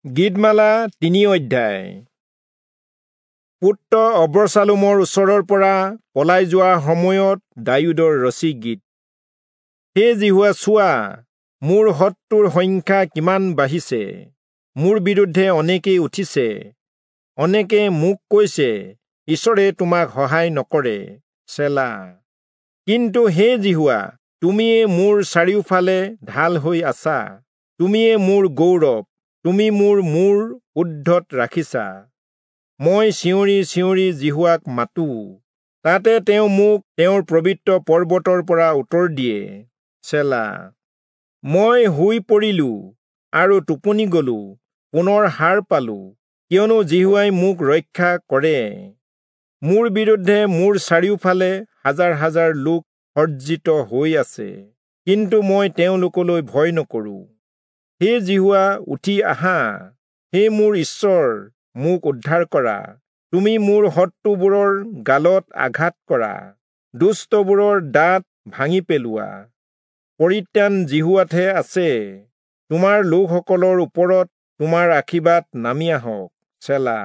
গীতমালা 3 অধ্যায়। পুত্ৰ অবচালোমৰ ওচৰৰ পৰা পলাই যোৱা সময়ত দায়ূদৰ ৰচি গীত। হে যিহোৱা, চোৱা, মোৰ শত্ৰুৰ সংখ্যা কিমান বাঢ়িছে! মোৰ বিৰুদ্ধে অনেকেই উঠিছে, অনেকে মোক কৈছে, ঈশ্বৰে তোমাক সহায় নকৰে। চেলা। কিন্তু হে যিহোৱা, তুমিয়ে মোৰ চাৰিওফালে ঢাল হৈ আছা, তুমিয়ে মোৰ গৌৰৱ, তুমি মোৰ মূৰ ঊৰ্ধ্বত ৰাখিছা। মই চিঞৰি চিঞৰি যিহোৱাক মাতো, তাতে তেওঁ মোক তেওঁৰ পবিত্ৰ পৰ্বতৰ পৰা উত্তৰ দিয়ে। চেলা। মই শুই পৰিলো আৰু টোপনি গলো, পুনৰ সাৰ পালো, কিয়নো যিহোৱাই মোক ৰক্ষা কৰে। মোৰ বিৰুদ্ধে মোৰ চাৰিওফালে হাজাৰ হাজাৰ লোক সজ্জিত হৈ আছে, কিন্তু মই তেওঁলোকলৈ ভয় নকৰো। হে যিহোৱা, উঠি আহা, হে মোৰ ঈশ্বৰ, মোক উদ্ধাৰ কৰা। তুমি মোৰ শত্ৰুবোৰৰ গালত আঘাত কৰা, দুষ্টবোৰৰ দাঁত ভাঙি পেলোৱা। পৰিত্ৰাণ যিহোৱাতহে আছে, তোমাৰ লোকসকলৰ ওপৰত তোমাৰ আশীৰ্বাদ নামি আহক। চেলা।